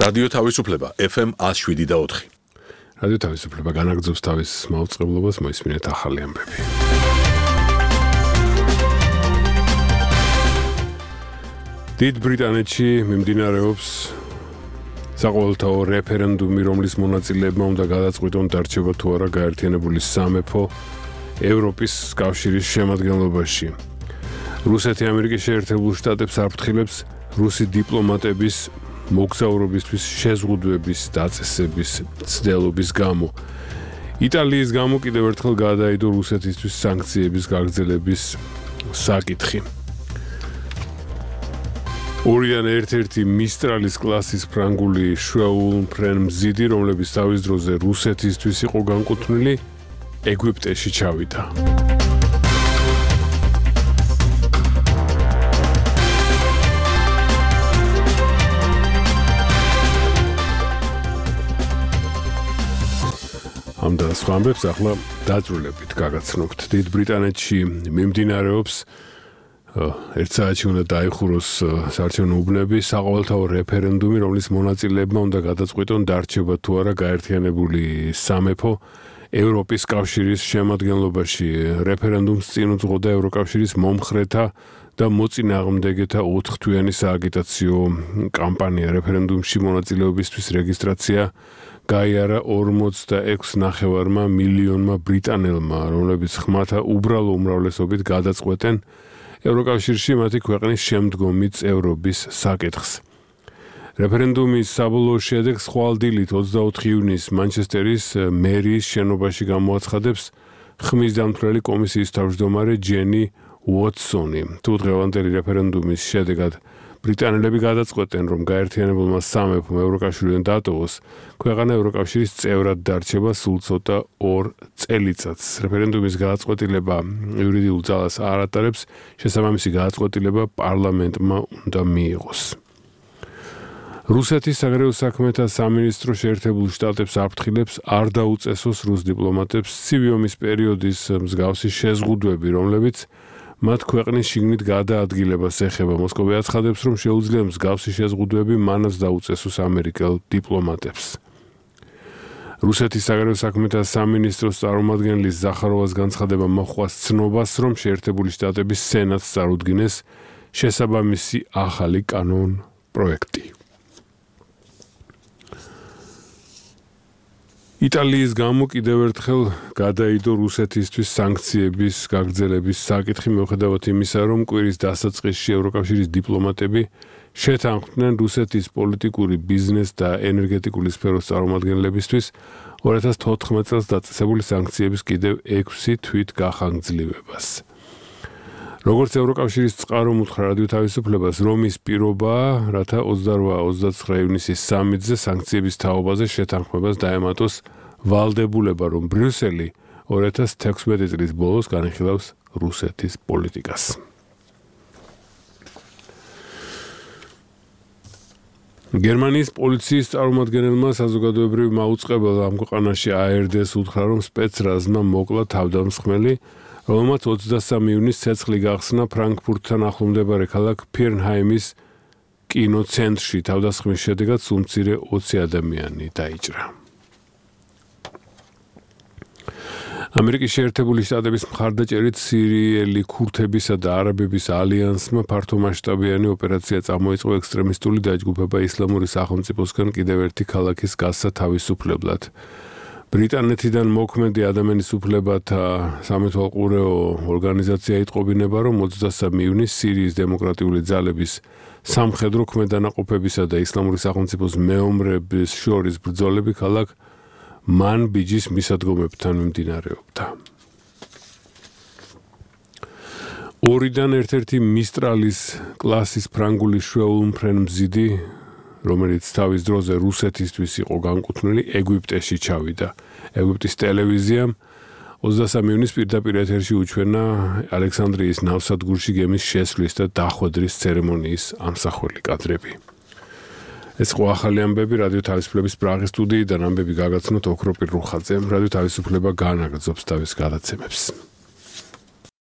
რადიო თავისუფლება FM 107.4. რადიო თავისუფლება განაგრძობს თავის მაუწყებლობას, მოისმინეთ ახალი ამბები. დიდ ბრიტანეთში მიმდინარეობს საყოველთაო რეფერენდუმი, რომლის მონაწილეებმა უნდა გადაწყვიტონ დარჩება თუ არა გაერთიანებული სამეფო ევროპის კავშირის შემადგენლობაში. რუსეთი ამერიკის შეერთებულ შტატებს აფრთხილებს რუსი დიპლომატების მოგზაურობისთვის შეზღუდვების დაწესების ცდელობის გამო. იტალიის გამო კიდევ ერთხელ გადაიდო რუსეთისთვის სანქციების გაგრძელების საკითხი. ორიდან ერთ-ერთი მისტრალის კლასის ფრანგული შვეულმფრენმზიდი, რომლებიც თავის დროზე რუსეთისთვის იყო განკუთვნილი, ეგვიპტეში ჩავიდა. ამ და სხვა ამბებს ახლა დაძრულებით გაგაცნობთ. დიდ ბრიტანეთში მიმდინარეობს ერთ საათში უნდა დაიხუროს საარჩევნო უბნები, საყოველთაო რეფერენდუმი, რომლის მონაწილეებმა უნდა გადაწყვიტონ დარჩება თუ არა გაერთიანებული სამეფო ევროპის კავშირის შემადგენლობაში. რეფერენდუმს წინ უძღოდა ევროკავშირის მომხრეთა და მოწინააღმდეგეთა 4-თვიანი სააგიტაციო კამპანია. რეფერენდუმში მონაწილეობისთვის რეგისტრაცია გაიარა 46.5 მილიონმა ბრიტანელმა, რომლებიც ხმათა უბრალო უმრავლესობით გადაწყვეტენ ევროკავშირში მათი ქვეყნის შემდგომი წევრობის საკითხს. რეფერენდუმის საბოლოო შედეგს ხვალ დილით 24 ივნისს მანჩესტერის მერიის შენობაში გამოაცხადებს ხმის დამცველი კომისიის თავმჯდომარე ჯენი უოტსონი. თუ დღევანდელი რეფერენდუმის შედეგად ბრიტანელები გადაწყვეტენ, რომ გაერთიანებულმა სამეფომ ევროკავშირიდან დატოვოს, ქვეყანა ევროკავშირის წევრად დარჩება სულ ცოტა 2 წელიწადს. რეფერენდუმის გადაწყვეტილება იურიდიულ ძალას არ ატარებს, შესაბამისი გადაწყვეტილება პარლამენტმა უნდა მიიღოს. რუსეთის საგარეო საქმეთა სამინისტრო შეერთებულ შტატებს აფრთხილებს არ დაუწესოს რუს დიპლომატებს ცივი ომის პერიოდის მსგავსი შეზღუდვები, რომლებიც მათ ქვეყნის შიგნით გადაადგილებას ეხება. მოსკოვი აცხადებს, რომ შეუძლია მსგავსი შეზღუდვები მანაც დაუწესოს ამერიკელ დიპლომატებს. რუსეთის საგარეო საქმეთა სამინისტროს წარმომადგენლის ზახაროვას განცხადება მოჰყვა ცნობას, რომ შეერთებული შტატების სენატს წარუდგინეს შესაბამისი ახალი კანონ პროექტი. იტალიის გამო კიდევ ერთხელ გადაიდო რუსეთისთვის სანქციების გაგრძელების საკითხი, მიუხედავად იმისა, რომ კვირის დასაწყისში ევროკავშირის დიპლომატები შეთანხმდნენ რუსეთის პოლიტიკური, ბიზნეს და ენერგეტიკული სფეროს წარმომადგენლებისთვის 2014 წელს დაწესებული სანქციების კიდევ 6 თვით გახანგრძლივებას. როგორც ევროკავშირის წყარო უთხრა რადიო თავისუფლებას, რომის პირობაა, რათა 28-29 ივნისის სამიტზე სანქციების თაობაზე შეთანხმებას დაემატოს ვალდებულება, რომ ბრიუსელი 2016 წლის ბოლოს განიხილავს რუსეთის პოლიტიკას. გერმანიის პოლიციის წარმომადგენელმა საზოგადოებრივ მაუწყებელმა ამ ქვეყანაში ARD-ს უთხრა, რომ სპეცრაზმა მოკლა თავდამსხმელი, რომელმაც 23 ივნისს ცეცხლი გახსნა ფრანკფურტთან ახლომდებარე ქალაქ ფირნჰაიმის კინოცენტრში. თავდასხმის შედეგად სულ მცირე 20 ადამიანი დაიჭრა. ამერიკის შეერთებული შტატების მხარდაჭერით სირიელი ქურთებისა და არაბების ალიანსმა ფართომასშტაბიანი ოპერაცია წამოიწყო ექსტრემისტული დაჯგუფება ისლამური სახელმწიფოსგან კიდევ ერთი ქალაქის გასცა თავისუფლებლად. ბრიტანეთიდან მოქმედი ადამიანის უფლებათა სამეთვალყურეო ორგანიზაცია იტყობინება, რომ 23 ივნისს სირიის დემოკრატიული ძალების სამხედრო ქმედანაყოფებისა და ისლამური სახელმწიფოს მეომრების შორის ბრძოლები ქალაქ მანბიჯის მისადგომებთან მიმდინარეობდა. ორიდან ერთ-ერთი მისტრალის კლასის ფრანგული შვეულმფრენმზიდი, რომელიც თავის დროზე რუსეთისთვის იყო განკუთვნილი, ეგვიპტეში ჩავიდა. ეგვიპტის ტელევიზიამ 23 ივნისს პირდაპირ ეთერში უჩვენა ალექსანდრიის ნავსადგურში გემის შესვლის და დახვედრის ცერემონიის ამსახველი კადრები. ეს ყო ახალი ამბები რადიო თავისუფლების პრაღის სტუდიიდან ამბები გაგაცნოთ ოქროპირ რუხაძემ. რადიო თავისუფლება განაგრძობს თავის გადაცემებს.